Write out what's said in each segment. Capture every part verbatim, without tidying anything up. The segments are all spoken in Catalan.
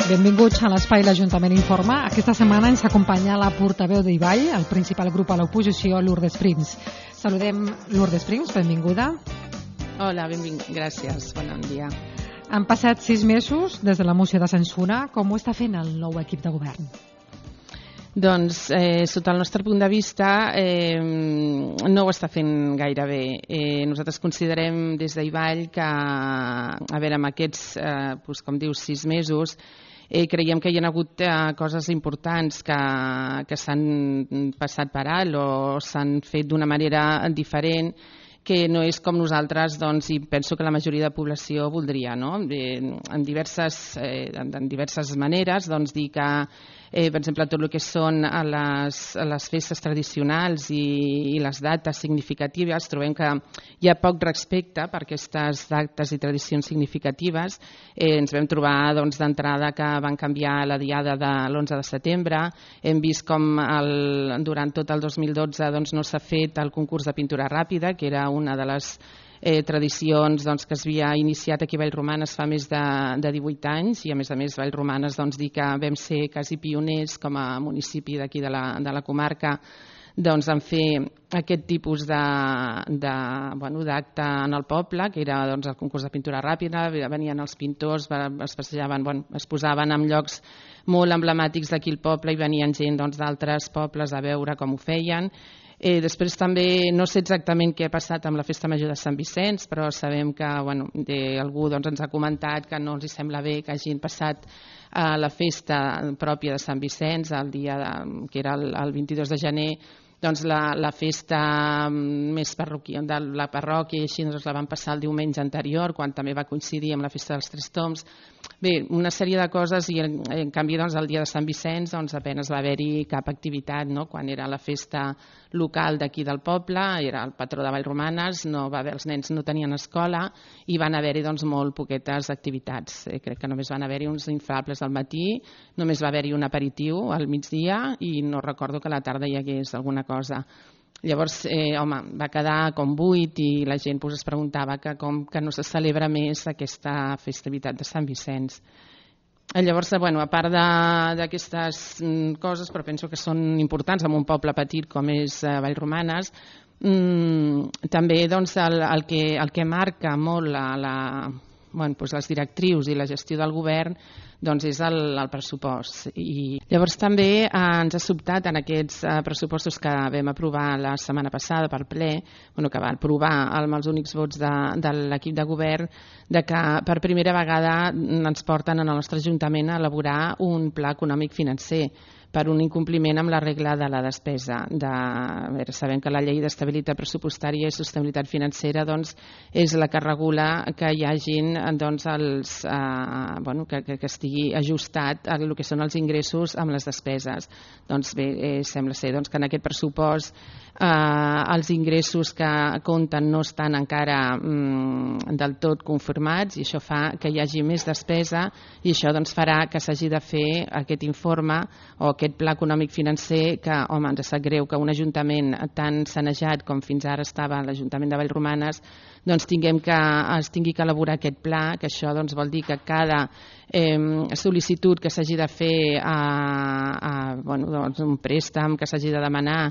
Benvinguts a l'Espai L'Ajuntament Informa. Aquesta setmana ens acompanya la portaveu d'Ibai, el principal grup a l'oposició, Lourdes Prims. Saludem Lourdes Prims, benvinguda. Hola, benvinguda, gràcies, bon dia. Han passat sis mesos des de la moció de censura. Com ho està fent el nou equip de govern? Doncs, eh, sota el nostre punt de vista, eh, no ho està fent gaire bé. Eh, nosaltres considerem des d'Ibai que, a veure, amb aquests, eh, doncs, com dius, sis mesos, eh, creiem que hi ha hagut eh, coses importants que, que s'han passat per alt o s'han fet d'una manera diferent, que no és com nosaltres, doncs, i penso que la majoria de població voldria, no? Eh, en, diverses, eh, en, en diverses maneres, doncs, dir que Eh, per exemple, tot el que són a les, a les festes tradicionals i, i les dates significatives, trobem que hi ha poc respecte per aquestes dates i tradicions significatives. Eh, ens vam trobar doncs, d'entrada que van canviar la diada de l'onze de setembre. Hem vist com el, durant tot el dos mil dotze doncs, no s'ha fet el concurs de pintura ràpida, que era una de les Eh, tradicions doncs, que es havia iniciat aquí a Vallromanes fa més de, de divuit anys, i a més a més Vallromanes doncs, dir que vam ser quasi pioners com a municipi d'aquí de, la, de la comarca doncs, en fer aquest tipus de, de, bueno, d'acte en el poble, que era doncs, el concurs de pintura ràpida. Venien els pintors, es passejaven, bueno, es posaven en llocs molt emblemàtics d'aquí al poble i venien gent doncs, d'altres pobles a veure com ho feien. Eh, després també no sé exactament què ha passat amb la Festa Major de Sant Vicenç, però sabem que bueno, de, algú doncs, ens ha comentat que no els hi sembla bé que hagin passat a la festa pròpia de Sant Vicenç, el dia de, que era el, el vint-i-dos de gener, doncs la, la festa més parroquial de la parròquia, i així doncs, la van passar el diumenge anterior, quan també va coincidir amb la festa dels Tres Tombs. Bé, una sèrie de coses, i en, en canvi doncs, el dia de Sant Vicenç doncs, apenas va haver-hi cap activitat, no? Quan era la festa local d'aquí del poble, era el patró de Vallromanes, no va haver, els nens no tenien escola i van haver-hi doncs, molt poquetes activitats. Eh, crec que només van haver-hi uns inflables al matí, només va haver-hi un aperitiu al migdia i no recordo que a la tarda hi hagués alguna cosa. Llavors, eh, home, va quedar com buit i la gent pues, es preguntava que com que no se celebra més aquesta festivitat de Sant Vicenç. Llavors, bueno, a part d'aquestes coses, però penso que són importants en un poble petit com és eh, Vallromanes, mm, també doncs, el, el, que, el que marca molt la, la, bueno, doncs les directrius i la gestió del govern doncs és el, el pressupost. I llavors també eh, ens ha sobtat en aquests eh, pressupostos que vam aprovar la setmana passada per ple, bueno, que va aprovar amb els únics vots de, de l'equip de govern, de que per primera vegada ens porten en el nostre Ajuntament a elaborar un pla econòmic financer per un incompliment amb la regla de la despesa. De, a veure, sabem que la llei d'estabilitat pressupostària i sostenibilitat financera doncs, és la que regula que hi hagin doncs, els, eh, bueno, que, que, que estigui ajustat a el que són els ingressos amb les despeses. Doncs bé, eh, sembla ser doncs, que en aquest pressupost eh, els ingressos que compten no estan encara mm, del tot confirmats, i això fa que hi hagi més despesa, i això doncs, farà que s'hagi de fer aquest informe o aquest pla econòmic financer que, home, ens sap greu que un ajuntament tan sanejat com fins ara estava l'Ajuntament de Vallromanes doncs tinguem que, es tingui que elaborar aquest pla, que això doncs, vol dir que cada eh, sol·licitud que s'hagi de fer a, a bueno, doncs, un préstec que s'hagi de demanar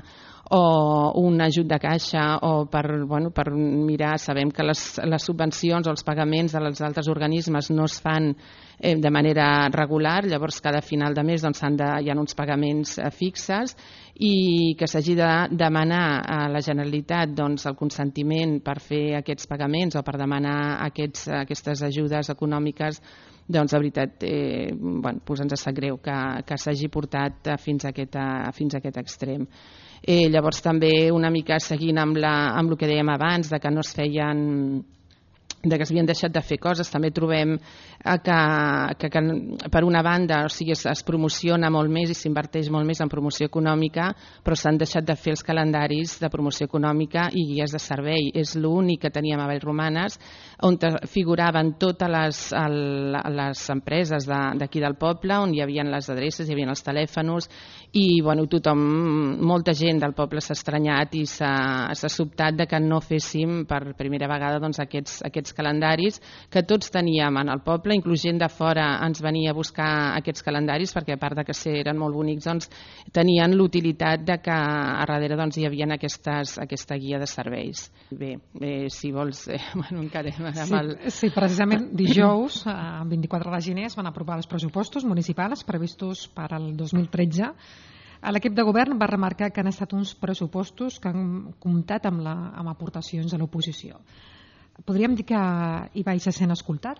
o un ajut de caixa o per, bueno, per mirar, sabem que les, les subvencions o els pagaments dels altres organismes no es fan eh, de manera regular, llavors cada final de mes doncs, de, hi ha uns pagaments eh, fixes, i que s'hagi de demanar a la Generalitat doncs, el consentiment per fer aquests pagaments o per demanar aquests, aquestes ajudes econòmiques, doncs de veritat eh, bueno, doncs ens sap greu que, que s'hagi portat fins a aquest, a, fins a aquest extrem. Eh, llavors també una mica seguint amb, la, amb el que dèiem abans, de que no es feien, de que s'havien deixat de fer coses, també trobem que, que, que per una banda o sigui, es, es promociona molt més i s'inverteix molt més en promoció econòmica, però s'han deixat de fer els calendaris de promoció econòmica i guies de servei. És l'únic que teníem a Vallromanes, on figuraven totes les, el, les empreses d'aquí de, del poble, on hi havia les adreces, hi havia els telèfons, i bueno, tothom, molta gent del poble s'ha estranyat i s'ha sobtat de que no féssim per primera vegada doncs, aquests, aquests aquests calendaris que tots teníem en el poble, inclús gent de fora ens venia a buscar aquests calendaris perquè a part de que eren molt bonics, doncs, tenien l'utilitat de que a darrere doncs, hi havia aquestes, aquesta guia de serveis. Bé, eh, si vols, eh, bueno, encarem amb sí, el... Sí, precisament dijous, el vint-i-quatre de gener, es van aprovar els pressupostos municipals previstos per al dos mil tretze. L'equip de govern va remarcar que han estat uns pressupostos que han comptat amb, la, amb aportacions de l'oposició. Podríem dir que Ibai se sent escoltat?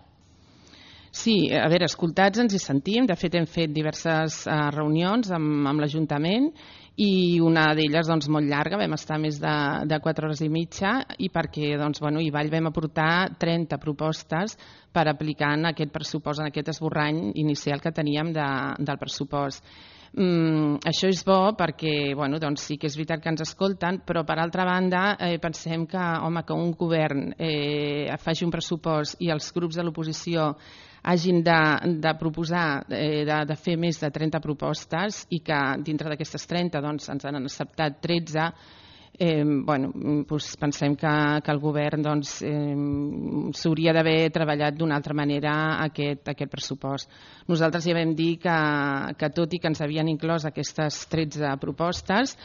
Sí, a veure, escoltats ens hi sentim. De fet, hem fet diverses uh, reunions amb, amb l'Ajuntament i una d'elles doncs, molt llarga, vam estar més de, de quatre hores i mitja i perquè doncs, bueno, a Vall vam aportar trenta propostes per aplicar en aquest pressupost, en aquest esborrany inicial que teníem de, del pressupost. Mm, això és bo perquè bueno, doncs sí que és veritat que ens escolten, però per altra banda eh, pensem que, home, que un govern eh, faci un pressupost i els grups de l'oposició hagin de, de proposar, eh, de, de fer més de trenta propostes i que dintre d'aquestes trenta doncs, ens han acceptat tretze, eh, bueno, doncs pensem que, que el govern doncs, eh, s'hauria d'haver treballat d'una altra manera aquest, aquest pressupost. Nosaltres ja vam dir que, que tot i que ens havien inclòs aquestes tretze propostes,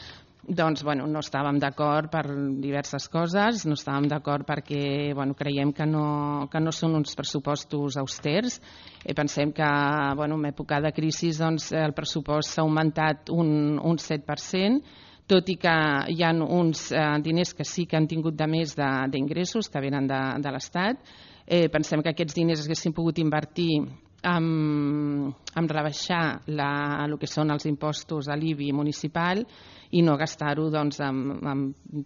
doncs, bueno, no estàvem d'acord per diverses coses, no estàvem d'acord perquè bueno, creiem que no, que no són uns pressupostos austers. Eh, pensem que bueno, en època de crisi doncs, el pressupost s'ha augmentat un, un set per cent, tot i que hi ha uns eh, diners que sí que han tingut de més d'ingressos que venen de, de l'Estat. Eh, pensem que aquests diners es haguessin pogut invertir en, en rebaixar la, el que són els impostos a l'I B I municipal i no gastar-ho doncs, en, en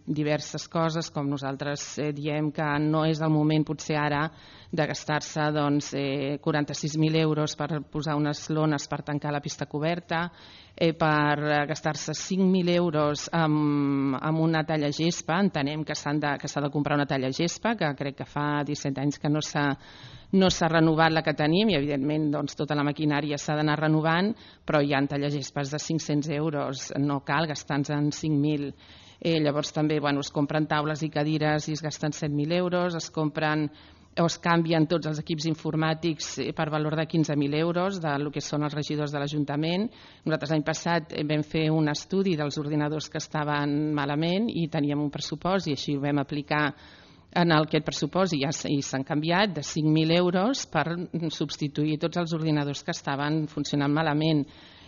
diverses coses, com nosaltres eh, diem que no és el moment potser ara de gastar-se doncs, eh, quaranta-sis mil euros per posar unes lones per tancar la pista coberta, eh, per gastar-se cinc mil euros amb, amb una talla gespa. Entenem que s'ha de, que s'ha de comprar una talla gespa, que crec que fa disset anys que no s'ha no s'ha renovat la que tenim i evidentment doncs, tota la maquinària s'ha d'anar renovant, però hi ha tallagespes de cinc-cents euros, no cal gastar-nos en cinc mil. Eh, llavors també bueno, es compren taules i cadires i es gasten set mil euros, es compren o es canvien tots els equips informàtics per valor de quinze mil euros del que són els regidors de l'Ajuntament. Nosaltres l'any passat vam fer un estudi dels ordinadors que estaven malament i teníem un pressupost i així ho vam aplicar en aquest pressupost i ja s'han canviat de cinc mil euros per substituir tots els ordinadors que estaven funcionant malament.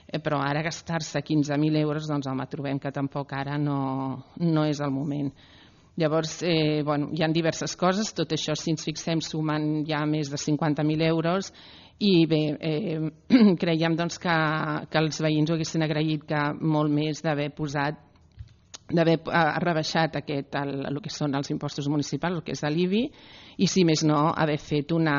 Però ara gastar-se quinze mil euros, doncs home, trobem que tampoc ara no, no és el moment. Llavors, eh, bueno, hi ha diverses coses, tot això si ens fixem sumen ja més de cinquanta mil euros i bé, eh, creiem doncs, que, que els veïns ho haguessin agraït que molt més d'haver posat d'haver rebaixat aquest, el, el que són els impostos municipals, el que és l'I B I, i si més no, haver fet una,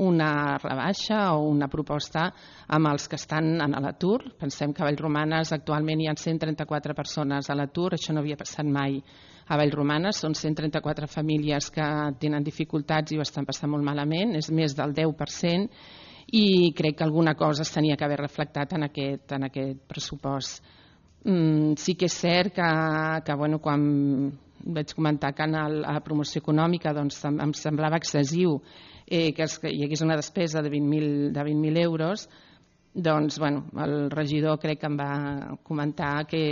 una rebaixa o una proposta amb els que estan en l'atur. Pensem que a Vallromanes actualment hi ha cent trenta-quatre persones a l'atur, això no havia passat mai a Vallromanes, són cent trenta-quatre famílies que tenen dificultats i ho estan passant molt malament, és més del deu per cent, i crec que alguna cosa es tenia que haver reflectat en aquest, en aquest pressupost. Mm, sí que és cert que, que bueno, quan vaig comentar que en el, a la promoció econòmica doncs, em semblava excessiu eh, que, es, que hi hagués una despesa de vint mil euros, doncs bueno, el regidor crec que em va comentar que,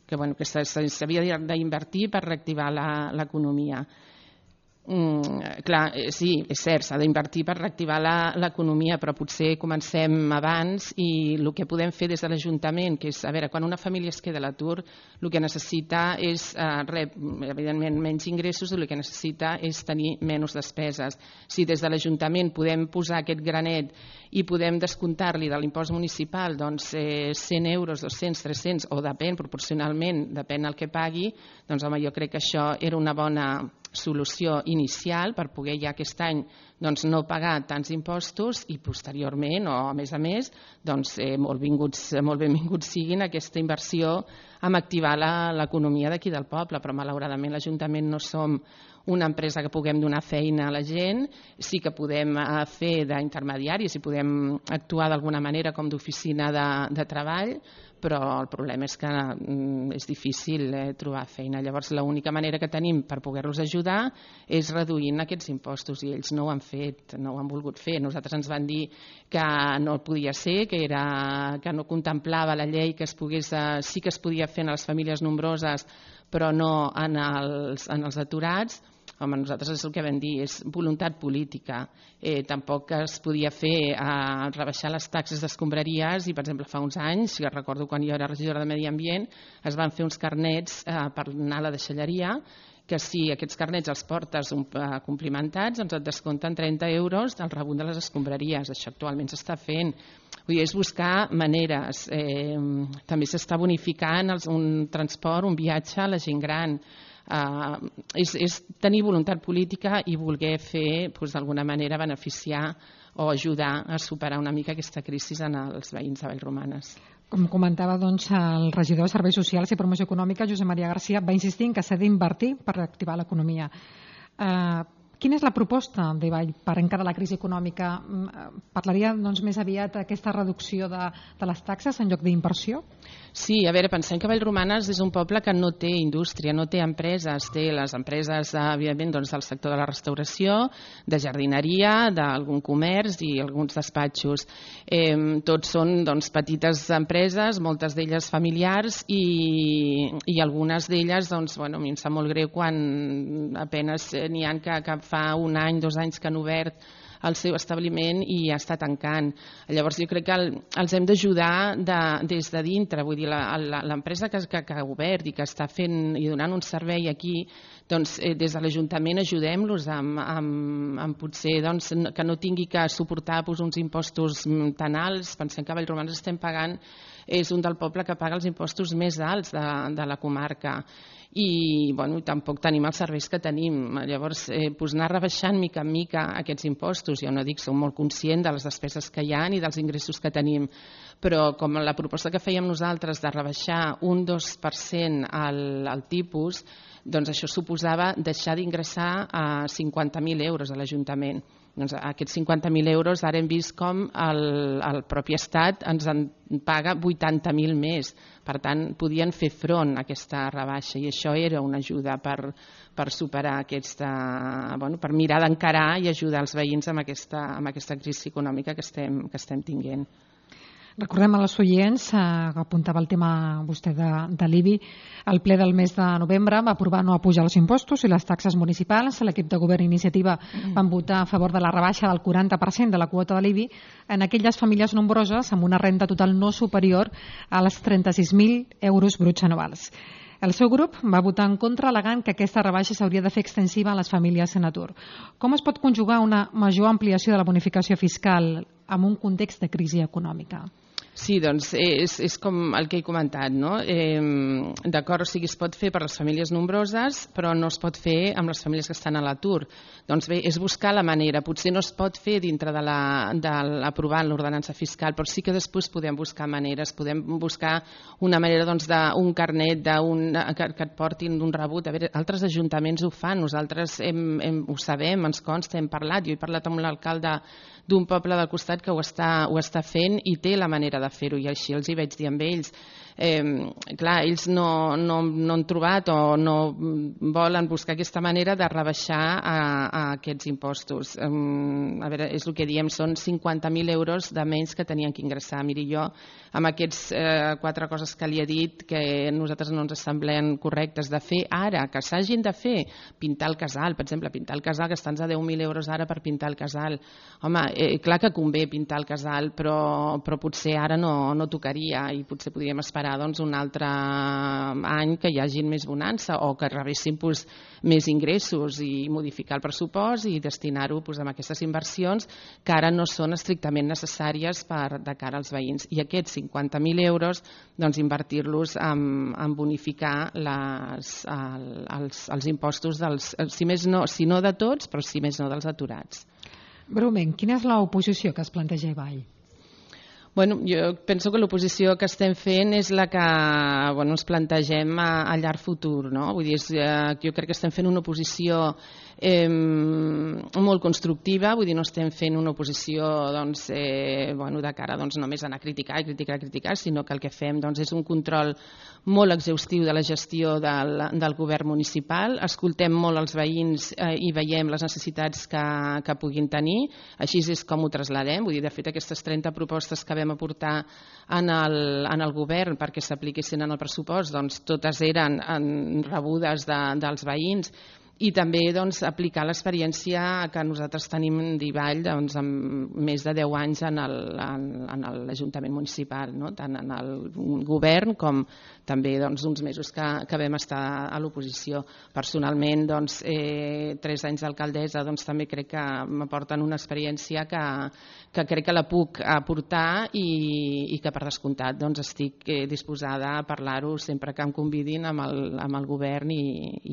que, bueno, que s'havia d'invertir per reactivar l'economia. Mm, clar, sí, és cert, s'ha d'invertir per reactivar l'economia, però potser comencem abans i el que podem fer des de l'Ajuntament, que és, a veure, quan una família es queda a l'atur, el que necessita és, eh, rep, evidentment, menys ingressos, el que necessita és tenir menys despeses. Si des de l'Ajuntament podem posar aquest granet i podem descomptar-li de l'impost municipal doncs, eh, cent euros, dos-cents, tres-cents, o depèn, proporcionalment, depèn el que pagui, doncs home, jo crec que això era una bona solució inicial per poder ja aquest any doncs, no pagar tants impostos i posteriorment o a més a més doncs, eh, molt, vinguts, molt benvinguts siguin aquesta inversió en activar l'economia d'aquí del poble, però malauradament l'Ajuntament no som una empresa que puguem donar feina a la gent, sí que podem fer d'intermediaris i podem actuar d'alguna manera com d'oficina de, de treball, però el problema és que és difícil eh, trobar feina. Llavors, l'única manera que tenim per poder-los ajudar és reduint aquests impostos, i ells no ho han fet, no ho han volgut fer. Nosaltres ens van dir que no podia ser, que, era, que no contemplava la llei que es pogués, eh, sí que es podia fer en les famílies nombroses, però no en els, en els aturats. Home, nosaltres és el que vam dir, és voluntat política. Eh, tampoc es podia fer eh, rebaixar les taxes d'escombraries i, per exemple, fa uns anys, jo recordo quan jo era regidora de Medi Ambient, es van fer uns carnets eh, per anar a la deixalleria, que si aquests carnets els portes un, eh, complimentats, doncs et descompten trenta euros del rebut de les escombraries. Això actualment s'està fent. Vull dir, és buscar maneres. Eh, també s'està bonificant els, un transport, un viatge a la gent gran. Uh, és, és tenir voluntat política i voler fer, doncs, d'alguna manera, beneficiar o ajudar a superar una mica aquesta crisi en els veïns de Vallromanes. Com comentava, doncs, el regidor de Serveis Socials i Promoció Econòmica, Josep Maria Garcia, va insistir en que s'ha d'invertir per reactivar l'economia. Uh, Quina és la proposta de Vall per encarar la crisi econòmica? Parlaria doncs, més aviat d'aquesta reducció de, de les taxes en lloc d'inversió? Sí, a veure, pensem que Vallromanes és un poble que no té indústria, no té empreses, té les empreses, evidentment, doncs, del sector de la restauració, de jardineria, d'algun comerç i alguns despatxos. Eh, tots són doncs, petites empreses, moltes d'elles familiars i, i algunes d'elles, doncs, bueno, a mi em sap molt greu quan apenes n'hi ha que, que fa un any, dos anys que han obert el seu establiment i ja està tancant. Llavors jo crec que el, els hem d'ajudar de, des de dintre, vull dir, l'empresa que, que, que ha obert i que està fent i donant un servei aquí, doncs eh, des de l'Ajuntament ajudem-los amb, amb, amb potser doncs, que no tingui que suportar pues, uns impostos tan alts. Pensem que a Vallromanes estem pagant, és un del poble que paga els impostos més alts de, de la comarca. I bueno, tampoc tenim els serveis que tenim. Llavors, eh, pues anar rebaixant mica en mica aquests impostos. Jo no dic, som molt conscient de les despeses que hi ha i dels ingressos que tenim, però com la proposta que fèiem nosaltres de rebaixar un dos per cent al, al tipus, doncs això suposava deixar d'ingressar a cinquanta mil euros a l'Ajuntament. Doncs aquests cinquanta mil euros ara hem vist com el, el propi Estat ens en paga vuitanta mil més. Per tant, podien fer front a aquesta rebaixa i això era una ajuda per, per superar aquesta, bueno, per mirar d'encarar i ajudar els veïns amb aquesta, amb aquesta crisi econòmica que estem, que estem tinguent. Recordem als oients, eh, que apuntava el tema vostè de, de l'I B I, el ple del mes de novembre va aprovar no apujar els impostos i les taxes municipals. L'equip de govern i iniciativa van votar a favor de la rebaixa del quaranta per cent de la quota de l'I B I en aquelles famílies nombroses amb una renda total no superior als trenta-sis mil euros bruts anuals. El seu grup va votar en contra al·legant que aquesta rebaixa s'hauria de fer extensiva a les famílies en atur. Com es pot conjugar una major ampliació de la bonificació fiscal en un context de crisi econòmica? Sí, doncs és, és com el que he comentat, no? Eh, D'acord, o sigui, es pot fer per les famílies nombroses, però no es pot fer amb les famílies que estan a l'atur. Doncs bé, és buscar la manera. Potser no es pot fer dintre de l'aprovar l'ordenança fiscal, però sí que després podem buscar maneres, podem buscar una manera doncs, d'un carnet un, que, que et portin d'un rebut. A veure, altres ajuntaments ho fan, nosaltres hem, hem, ho sabem, ens consta, hem parlat. Jo he parlat amb l'alcalde d'un poble del costat que ho està, ho està fent i té la manera de fer-ho, i així els hi vaig dir amb ells. Eh, clar, ells no, no, no han trobat o no volen buscar aquesta manera de rebaixar a, a aquests impostos. Eh, a veure, és el que diem, són cinquanta mil euros de menys que tenien que ingressar. Miri, jo, amb aquests eh, quatre coses que li he dit, que a nosaltres no ens semblen correctes de fer ara, que s'hagin de fer, pintar el casal, per exemple, pintar el casal, gastar-nos a deu mil euros ara per pintar el casal. Home, eh, clar que convé pintar el casal, però, però potser ara no, no tocaria i potser podríem esperar doncs, un altre any que hi hagi més bonança o que rebessin doncs, més ingressos i modificar el pressupost i destinar-ho doncs, a aquestes inversions que ara no són estrictament necessàries per, de cara als veïns. I aquests cinquanta mil euros doncs, invertir-los en, en bonificar les, el, els, els impostos, dels, si, més no, si no de tots, però si més no dels aturats. Breument, quina és l'oposició que es planteja a Vall? Bueno, jo penso que l'oposició que estem fent és la que bueno, ens plantegem a, a llarg futur. No? Vull dir, és, eh, jo crec que estem fent una oposició eh, molt constructiva, vull dir, no estem fent una oposició doncs, eh, bueno, de cara doncs, només a anar a criticar i criticar i criticar, sinó que el que fem doncs, és un control molt exhaustiu de la gestió del, del govern municipal, escoltem molt els veïns eh, i veiem les necessitats que, que puguin tenir, així és com ho traslladem, vull dir, de fet aquestes trenta propostes que vam aportar en el, en el govern perquè s'apliquessin en el pressupost, doncs totes eren en, rebudes de, dels veïns, i també doncs, aplicar l'experiència que nosaltres tenim d'Ivall doncs, amb més de deu anys en l'Ajuntament municipal, no? Tant en el govern com també doncs, uns mesos que, que vam estar a l'oposició. Personalment, doncs, eh, tres anys d'alcaldessa doncs, també crec que m'aporten una experiència que, que crec que la puc aportar i, i que per descomptat doncs, estic eh, disposada a parlar-ho sempre que em convidin amb el, amb el govern i,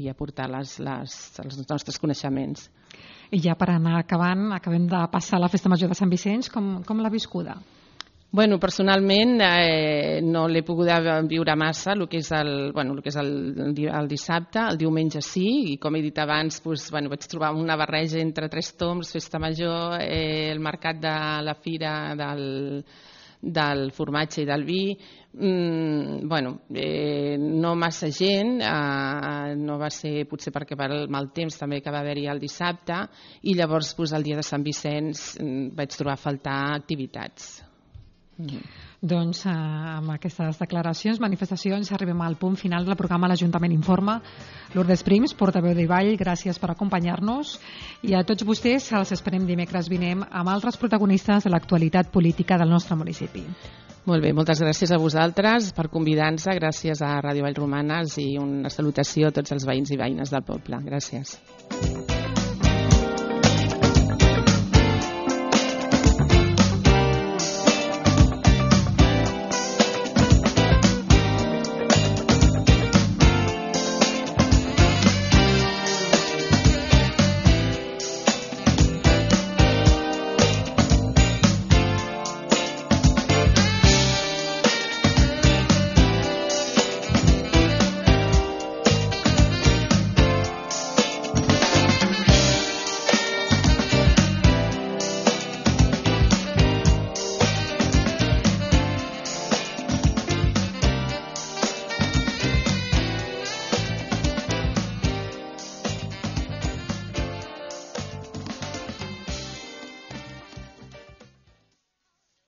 i aportar les, les els nostres coneixements. I ja per anar acabant, acabem de passar la Festa Major de Sant Vicenç, com, com l'ha viscuda? Bueno, personalment eh, no l'he pogut viure massa, el que és el, bueno, el, que és el, el dissabte, el diumenge sí, i com he dit abans, doncs, bueno, vaig trobar una barreja entre tres tombs, Festa Major, eh, el mercat de la fira del del formatge i del vi, mm, bueno, eh, no massa gent, eh, no va ser potser perquè per el mal temps també que va haver-hi el dissabte, i llavors pues, el dia de Sant Vicenç mm, vaig trobar a faltar activitats. Mm. Doncs eh, amb aquestes declaracions, manifestacions, arribem al punt final del programa L'Ajuntament Informa. Lourdes Prims, portaveu d'Ivall, gràcies per acompanyar-nos, i a tots vostès els esperem dimecres vinent amb altres protagonistes de l'actualitat política del nostre municipi. Molt bé, moltes gràcies a vosaltres per convidar-nos, gràcies a Ràdio Vallromanes i una salutació a tots els veïns i veïnes del poble. Gràcies.